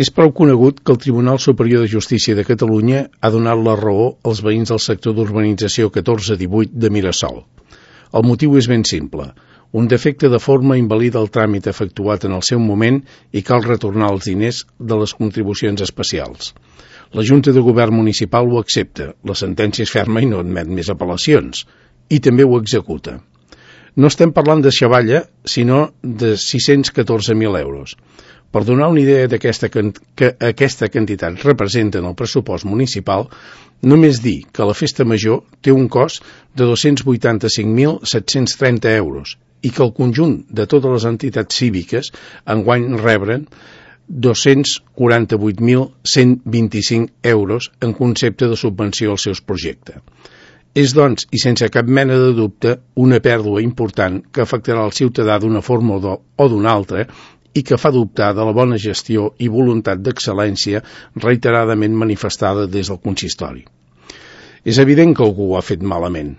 És prou conegut que el Tribunal Superior de Justícia de Catalunya ha donat la raó als veïns del sector d'urbanització 1418 de Mirasol. El motiu és ben simple. Un defecte de forma invalida el tràmit efectuat en el seu moment i cal retornar els diners de les contribucions especials. La Junta de Govern Municipal ho accepta, la sentència és ferma i no admet més apel·lacions, i també ho executa. No estem parlant de xavalla, sinó de 614.000 euros. Per donar una idea que aquesta quantitat representa en el pressupost municipal, només dir que la festa major té un cost de 285.730 euros i que el conjunt de totes les entitats cíviques enguany rebren 248.125 euros en concepte de subvenció als seus projectes. És, doncs, i sense cap mena de dubte, una pèrdua important que afectarà el ciutadà d'una forma o d'una altra i que fa dubtar de la bona gestió i voluntat d'excel·lència reiteradament manifestada des del consistori. És evident que algú ho ha fet malament.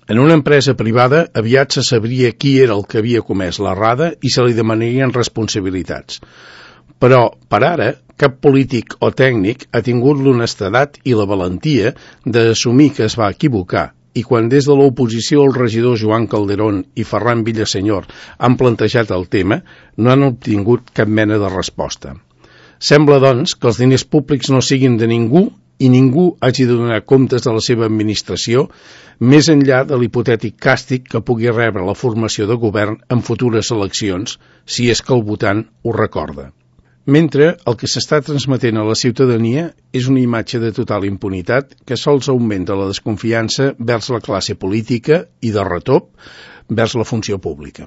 En una empresa privada aviat se sabria qui era el que havia comès l'errada i se li demanarien responsabilitats. Però, per ara, cap polític o tècnic ha tingut l'honestedat i la valentia d'assumir que es va equivocar i quan des de l'oposició el regidor Joan Calderón i Ferran Villasenyor han plantejat el tema, no han obtingut cap mena de resposta. Sembla, doncs, que els diners públics no siguin de ningú i ningú hagi de donar comptes de la seva administració més enllà de l'hipotètic càstig que pugui rebre la formació de govern en futures eleccions, si és que el votant ho recorda. Mentre el que s'està transmetent a la ciutadania és una imatge de total impunitat que sols augmenta la desconfiança vers la classe política i, de retop, vers la funció pública.